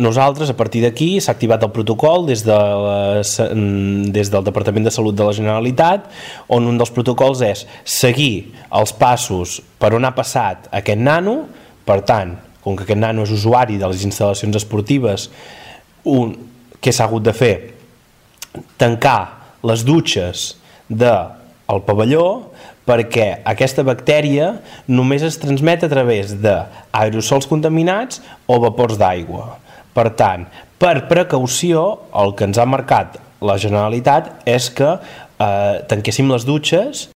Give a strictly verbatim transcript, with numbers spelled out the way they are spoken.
nosaltres, a partir d'aquí, s'ha activat el protocol des, de la, des del Departament de Salut de la Generalitat, on un dels protocols és seguir els passos per on ha passat aquest nano. Per tant, com que aquest nano és usuari de les instal·lacions esportives, un, què s'ha hagut de fer? Tancar les dutxes del pavelló, perquè aquesta bactèria només es transmet a través d'aerosols contaminats o vapors d'aigua. Per tant, per precaució, el que ens ha marcat la Generalitat és que eh, tanquéssim les dutxes